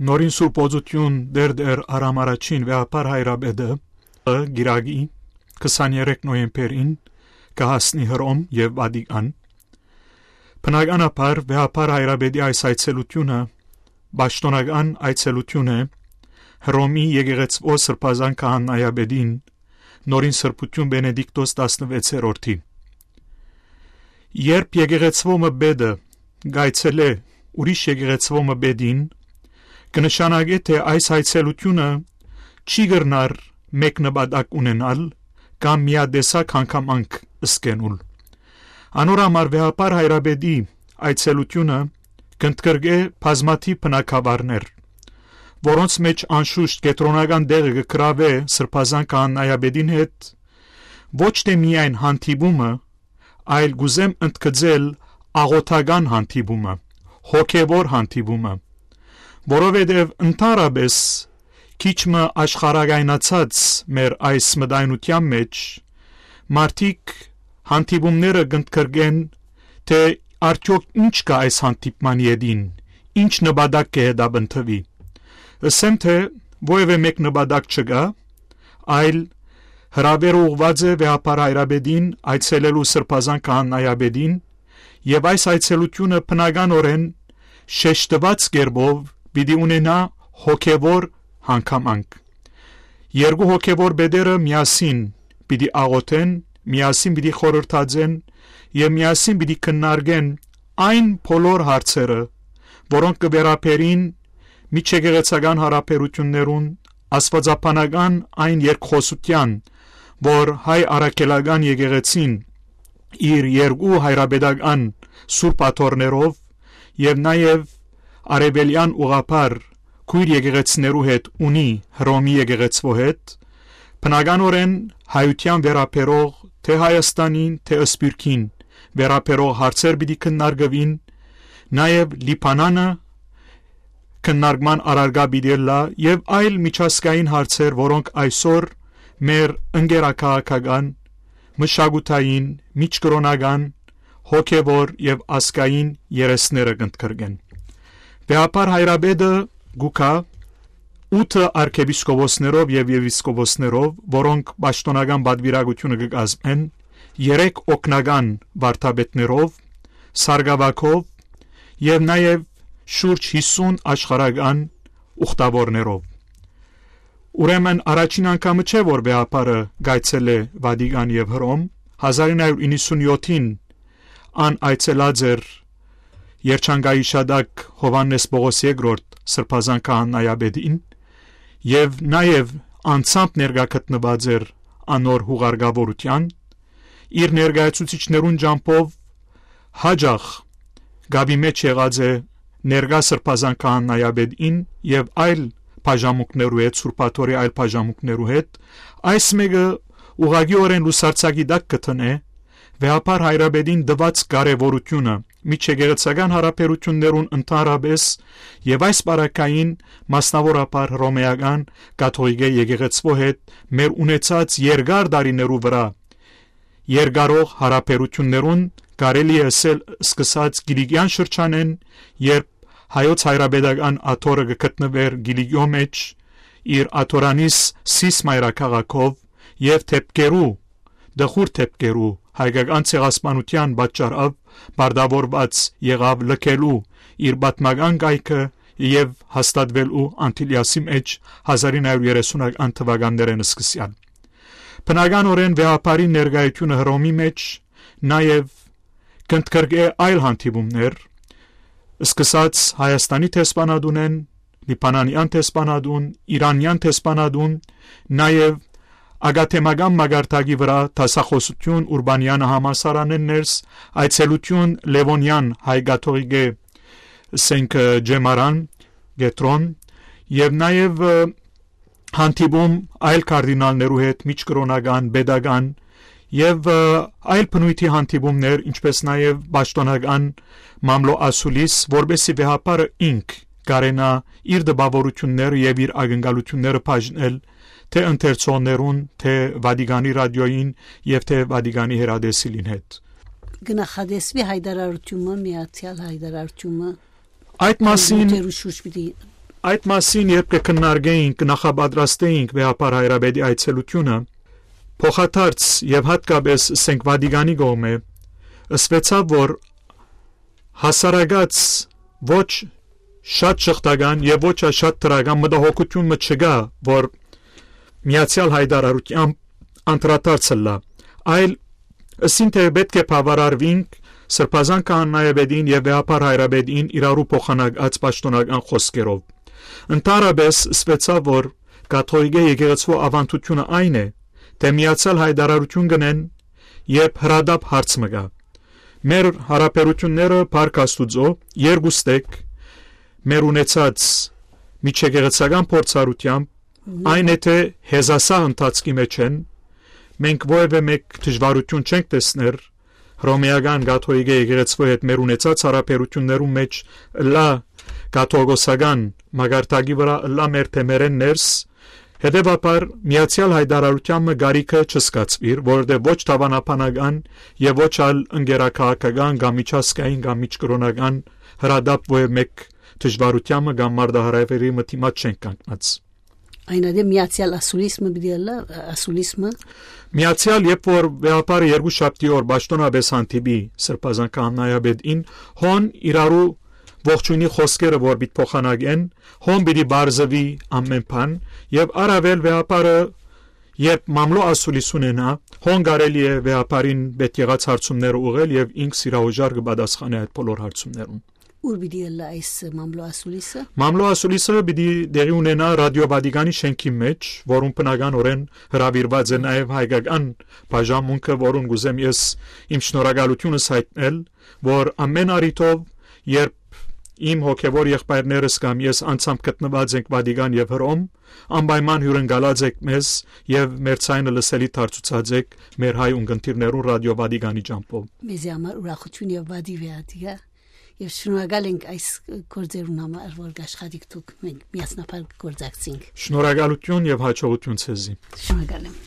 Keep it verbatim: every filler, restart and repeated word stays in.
Նորին Սուրբ Օծութիւն Տեր Տեր Արամ Առաջին Վեհափառ Հայրապետը կիրակի քսաներեք նոյեմբերին կը հասնի Հռոմ եւ Վատիկան։ Բնականաբար Վեհափառ Հայրապետի այս այցելութիւնը պաշտօնական այցելութիւն է Հռոմի եկեղեցւոյ Սրբազան Քահանայապետին Նորին Սրբութիւն Բենեդիկտոս տասնվեցերորդի։ Երբ եկեղեցւոյ մը պետը կայցելէ ուրիշ եկեղեցւոյ մը պետին, կը նշանակէ թէ այս այցելութիւնը չի կրնար մէկ նպատակ ունենալ կամ միատեսակ հանգամանք զգենալ։ Անոր համար Վեհափառ Հայրապետի այցելութիւնը կ'ընդգրկէ բազմաթիւ բնագաւառներ, որոնց մէջ անշուշտ կեդրոնական տեղը կը գրաւէ Սրբազան Քահանայապետին հետ ոչ թէ միայն հանդիպումը, այլ կ'ուզեմ ընդգծել աղօթական հանդիպումը, հոգեւոր հանդիպումը, որովհետեւ ընդհանրապէս քիչ մը աշխարհակայնացած մեր այս մտայնութեան մէջ մարդիկ հանդիպումները կ'ընդգրկեն թէ արդեօք ինչ կայ այս հանդիպման ետին, ինչ նպատակ կը հետապնդուի։ Ըսեմ թէ որեւէ մէկ նպատակ չկայ, այլ հրաւեր ուղղուած է Վեհափառ Հայրապետին այցելելու Սրբազան Քահանայապետին, եւ այս այցելութիւնը բնականօրէն շեշտուած կերպով պիտի ունենայ հոգեւոր հանգամանք։ Երկու հոգեւոր պետերը միասին պիտի աղօթեն, միասին պիտի խորհրդածեն եւ միասին պիտի քննարկեն այն բոլոր հարցերը, որոնք կը վերաբերին միջեկեղեցական յարաբերութիւններուն, աստուածաբանական այն երկխօսութեան, որ հայ առաքելական եկեղեցին իր երկու հայրապետական սուրբ աթոռներով եւ նաեւ արեւելեան ուղղափառ քոյր եկեղեցիներու հետ ունի Հռոմի եկեղեցւոյ հետ, բնականօրէն հայութեան վերաբերող թէ Հայաստանին, թէ Սփիւռքին վերաբերող հարցեր պիտի քննարկուին, նաեւ Լիբանանը քննարկման առարկայ պիտի ըլլայ եւ այլ միջազգային հարցեր, որոնք այսօր մեր ընկերաքաղաքական, մշակութային, միջկրօնական, հոգեւոր եւ ազգային երեսները կ'ընդգրկեն։ Վեհափառ Հայրապետը կու գայ ութը արքեպիսկոպոսներով եւ եպիսկոպոսներով, որոնք պաշտօնական պատուիրակութիւնը կը կազմեն, երեք օգնական վարդապետներով, սարկաւագով եւ նաեւ շուրջ հիսուն աշխարհական ուխտաւորներով։ Ուրեմն առաջին անգամը չէ, որ Վեհափառը կայցելէ Վատիկան եւ Հռոմ։ Հազար ինը հարիւր իննսունյոթին ան այցելած էր Երջանկայի Շատակ Յովհաննէս Պողոս երկրորդ Սրբազան Քահանայապետին եւ նաեւ անձամբ ներկայ գտնուած էր անոր յուղարկաւորութեան, իր ներկայացուցիչներուն ճամբով յաճախ գաբի մէջ եղած է ներկայ Սրբազան Քահանայապետին եւ այլ բաժամունքներու հետ, Սուրբ Աթոռի այլ բաժամունքներու հետ, այս մէկը ուղղակիօրէն լուսարձակի տակ կը դնէ Վեհափառ Հայրապետին տուած կարեւորութիւնը, միջեկեղեցական յարաբերութիւններուն ընդհանրապէս եւ այս պարագային մասնաւորաբար Հռոմեական կաթողիկէ եկեղեցւոյ հետ մեր ունեցած երկար տարիներու վրայ երկարող յարաբերութիւններուն, կարելի է ըսել սկսած Կիլիկեան շրջանէն, երբ հայոց հայրապետական աթոռը կը գտնուէր Կիլիկիոյ մէջ, իր աթորանիս Սիս մայրաքաղաքով եւ դէպքերու, տխուր դէպքերու հայկական ցեղասպանութեան պատճառով պարտաւորուած եղաւ լքելու իր պատմական կայքը եւ հաստատուելու Անտիլիասի մէջ հազար ինը հարիւր երեսունական թուականներէն սկսեալ։ Բնականօրէն Վեհափառի ներկայութիւնը Հռոմի մէջ նաեւ կ'ընդգրկէ այլ հանդիպումներ, սկսած Հայաստանի դեսպանատունէն, Լիբանանեան դեսպանատուն, Իրանեան դեսպանատուն, նաեւ ակադեմական մակարդակի վրայ դասախօսութիւն Ուրբանեանը համալսարանէն ներս, այցելութիւն Լեւոնեան հայ կաթողիկէ Սենքը Ջեմարան կեդրոն եւ նաեւ, ը, հանդիպում այլ կարդինալներու հետ, միջկրօնական, պետական եւ, ը, այլ բնույթի հանդիպումներ, ինչպէս նաեւ պաշտօնական մամլոյ ասուլիս, որպէսզի Վեհափառը ինք կարենայ իր տպաւորութիւնները եւ իր ակնկալութիւնները բաժնել թէ ընթերցողներուն, թէ Վատիկանի ռադիոյին եւ թէ Վատիկանի հեռատեսիլին հետ։ Կը նախատեսուի հայտարարութիւնը, միացեալ հայտարարութիւնը, Այդ մասին, նիւթերու շուրջ պիտի Այդ մասին երբ կը քննարկէինք, նախապատրաստէինք վեհափառ հայրապետի այցելութիւնը, փոխադարձ եւ յատկապես սենք Վատիկանի կողմէ, ըսուեցաւ, որ հասարակաց ոչ շատ շղթական եւ ոչ շատ դրական մտահոգութիւն մը չկայ, որ միացեալ հայտարարութեամբ անդրադարձ ըլլայ, այլ ըսին թէ պէտք է բաւարարուինք Սրբազան քահանայապետին եւ վեհափառ հայրապետին իրարու փոխանակած պաշտօնական խօսքերով։ Ընդհանրապէս ըսուեցաւ, որ կաթողիկէ եկեղեցւոյ աւանդութիւնը այն է, թէ միացեալ հայտարարութիւն կ'ընեն, երբ հրատապ հարց մը կայ։ Մեր յարաբերութիւնները, փառք Աստուծոյ, երկուստեք մեր ունեցած միջեկեղեցական փորձառութեամբ, այն է թէ հեզասահ ընթացքի մէջ են, մենք որեւէ մէկ դժուարութիւն չենք տեսներ Հռոմէական կաթողիկէ եկեղեցւոյ հետ մեր ունեցած յարաբերութիւններուն մէջ, ըլլայ կաթողիկոսական մակարդակի վրայ, ըլլայ մեր թեմերէն ներս, հետեւաբար միացեալ հայտարարութեան մը կարիքը չզգացուիր, որովհետեւ ոչ դաւանաբանական եւ ոչ ալ ընկերաքաղաքական կամ միջազգային կամ միջկրօնական հրատապ որեւէ մէկ դժուարութեան մը կամ մարտահրաւերի մը դիմաց չենք կանգնած։ Այն ատե միացեալ ասուլիս մը պիտի ըլլայ, ասուլիս մը։ Միացեալ, երբ որ վեհափառը երկու շաբթի օր պաշտօնապէս հանդիպի Սրբազան քահանայապետին, հոն իրարու ողջույնի խօսքերը որ պիտի փոխանակեն, հոն պիտի պարզուի ամէն բան, եւ առաւել վեհափառը երբ մամլոյ ասուլիս ունենայ, հոն կարելի է վեհափառին պէտք եղած հարցումները ուղղել եւ ինք սիրահոժար կը պատասխանէ այդ բոլոր հարցումներուն։ Ո՞ւր պիտի ըլլայ այս մամլոյ ասուլիսը։ Մամլոյ ասուլիսը պիտի տեղի ունենայ Ռադիօ Վատիկանի շենքի մէջ, որուն բնականօրէն հրաւիրուած է նաեւ հայկական բաժանմունքը, որուն կ'ուզեմ ես իմ շնորհակալութիւնս յայտնել, որ ամէն առիթով, երբ իմ հոգեւոր եղբայրներս կամ ես անձամբ գտնուած ենք Վատիկան եւ Հռոմ, անպայման հիւրընկալած եք մեզ եւ մեր ձայնը լսելի դարձուցած եք մեր հայ ունկնդիրներուն Ռադիօ Վատիկանի ճամբով։ Մեզի համար ուրախութիւն եւ պատիւ է ատիկա, եւ շնորհակալ ենք այս գործերուն համար, որ կաշխատիք դուք, մենք միասնաբար կգործակցենք։ Շնորհակալութիւն եւ յաջողութիւն ձեզի։ Շնորհակալ եմ։